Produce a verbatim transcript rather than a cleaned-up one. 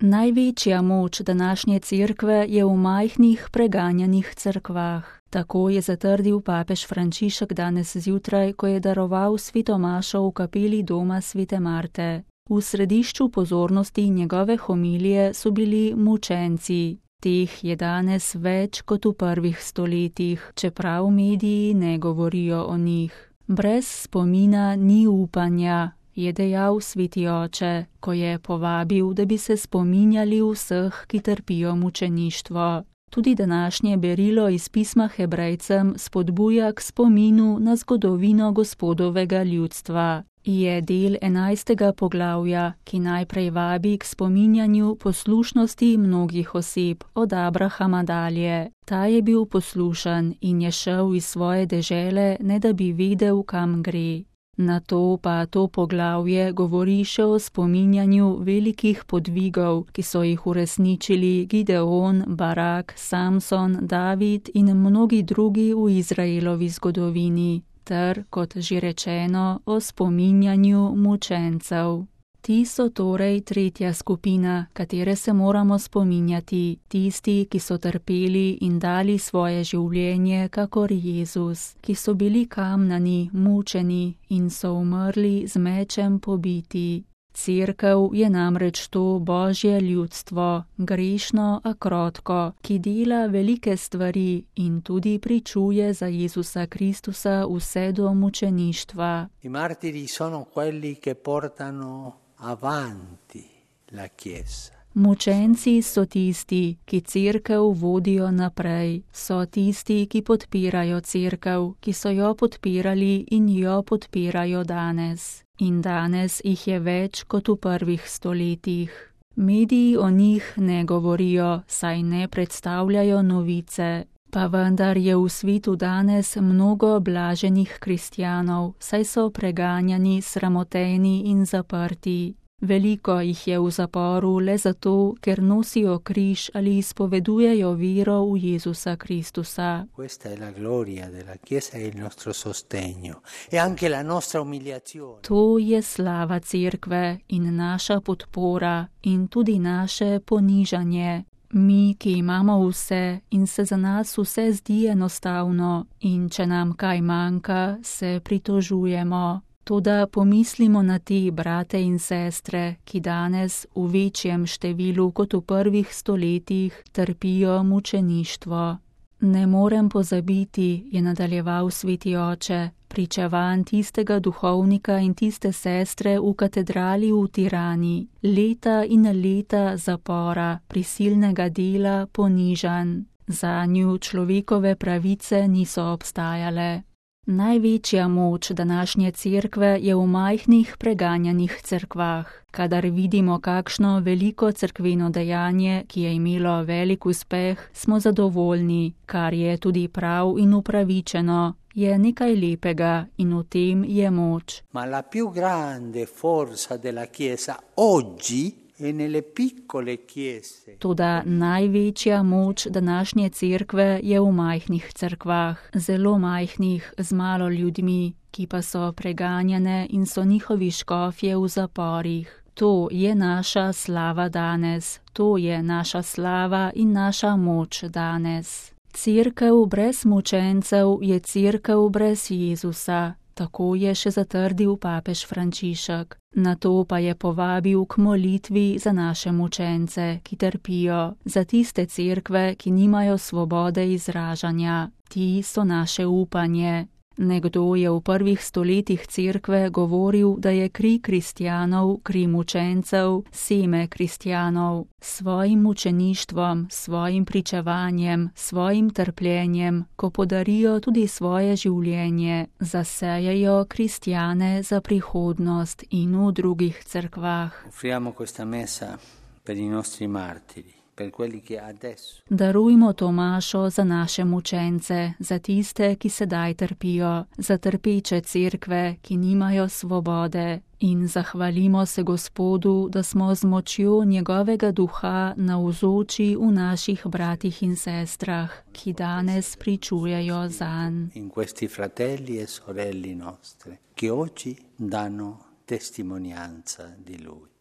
Največja moč današnje cerkve je v majhnih preganjanih cerkvah. Tako je zatrdil papež Frančišek danes zjutraj, ko je daroval sveto mašo v kapeli doma svete Marte. V središču pozornosti njegove homilije so bili mučenci. Teh je danes več kot v prvih stoletjih, čeprav mediji ne govorijo o njih. Brez spomina ni upanja, je dejal sveti oče, ko je povabil, da bi se spominjali vseh, ki trpijo mučeništvo. Tudi današnje berilo iz pisma Hebrejcem spodbuja k spominu na zgodovino Gospodovega ljudstva. Je del enajstega poglavja, ki najprej vabi k spominjanju poslušnosti mnogih oseb od Abrahama dalje. Ta je bil poslušen in je šel iz svoje dežele, ne da bi vedel, kam gre. Nato pa to poglavje govori še o spominjanju velikih podvigov, ki so jih uresničili Gideon, Barak, Samson, David in mnogi drugi v Izraelovi zgodovini, ter, kot že rečeno, o spominjanju mučencev. Ti so torej tretja skupina, katere se moramo spominjati, tisti, ki so trpeli in dali svoje življenje kakor Jezus, ki so bili kamnani, mučeni in so umrli z mečem pobiti. Cerkev je namreč to Božje ljudstvo, grešno, a krotko, ki dela velike stvari in tudi pričuje za Jezusa Kristusa vse do mučeništva. I martiri sono quelli che portano avanti la Chiesa. Mučenci so tisti, ki cerkev vodijo naprej, so tisti, ki podpirajo cerkev, ki so jo podpirali in jo podpirajo danes. In danes jih je več kot v prvih stoletjih. Mediji o njih ne govorijo, saj ne predstavljajo novice. Pa vendar je v svetu danes mnogo blaženih kristjanov, saj so preganjani, sramoteni in zaprti. Veliko jih je v zaporu le zato, ker nosijo križ ali izpovedujejo vero v Jezusa Kristusa. Questa è la gloria della Chiesa e il nostro sostegno e anche la nostra umiliazione. To je slava cerkve in naša podpora in tudi naše ponižanje. Mi, ki imamo vse in se za nas vse zdi enostavno in če nam kaj manjka, se pritožujemo. Toda pomislimo na te brate in sestre, ki danes v večjem številu kot v prvih stoletjih trpijo mučeništvo. Ne morem pozabiti, je nadaljeval sveti oče, pričevanj tistega duhovnika in tiste sestre v katedrali v Tirani, leta in leta zapora, prisilnega dela, ponižanj. Zanju človekove pravice niso obstajale. Največja moč današnje cerkve je v majhnih preganjanih cerkvah. Kadar vidimo kakšno veliko cerkveno dejanje, ki je imelo velik uspeh, smo zadovoljni, kar je tudi prav in upravičeno. Je nekaj lepega in v tem je moč. Ma la più grande forza della Chiesa oggi e nelle piccole chiese. Toda največja moč današnje cerkve je v majhnih cerkvah, zelo majhnih, z malo ljudmi, ki pa so preganjane in so njihovi škofje v zaporih. To je naša slava danes, to je naša slava in naša moč danes. Cerkev brez mučencev je cerkev brez Jezusa. Tako je še zatrdil papež Frančišek. Nato pa je povabil k molitvi za naše mučence, ki trpijo, za tiste cerkve, ki nimajo svobode izražanja. Ti so naše upanje. Nekdo je v prvih stoletjih cerkve govoril, da je kri kristjanov, kri mučencev, seme kristjanov. Svojim mučeništvom, svojim pričevanjem, svojim trpljenjem, ko podarijo tudi svoje življenje, zasejejo kristjane za prihodnost in v drugih cerkvah. Offriamo questa messa per i nostri martiri. Darujmo to mašo za naše mučence, za tiste, ki sedaj trpijo, za trpeče cerkve, ki nimajo svobode. In zahvalimo se Gospodu, da smo z močjo njegovega duha navzoči v naših bratih in sestrah, ki danes pričujejo zanj. In questi fratelli e sorelle nostre, che oggi danno testimonianza di Lui.